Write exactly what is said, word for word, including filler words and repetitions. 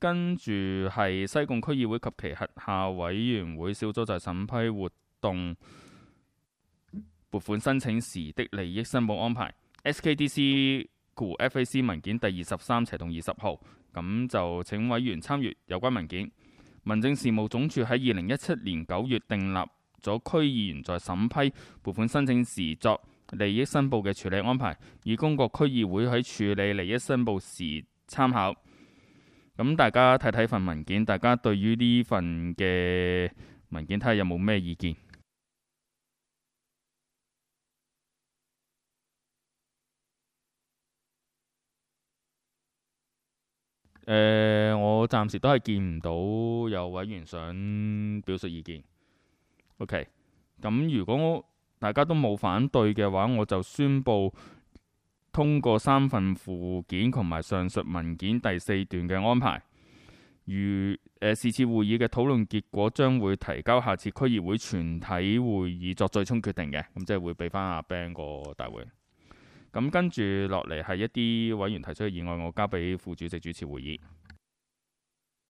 跟住係西貢區議會及其轄下委員會小組在審批活動撥款申請時的利益申報安排 S K D C F A C 文件第二十三斜同二十號，咁就請委員參閱有關文件。民政事務總署喺二零一七年九月訂立咗區議員在審批撥款申請時作利益申報嘅處理安排，以供各區議會喺處理利益申報時參考。咁大家睇睇份文件，大家對於呢份嘅文件睇下有冇咩意見？誒、呃，我暫時都係見唔到有委員想表述意見。OK， 咁如果大家都冇反對嘅話，我就宣佈通過三份附件同埋上述文件第四段嘅安排。如誒，是次會議嘅討論結果將會提交下次區議會全體會議作最終決定嘅，咁即係會俾翻阿 Ben 個大會。咁跟住落嚟係一啲委員提出嘅議案，我交俾副主席主持會議。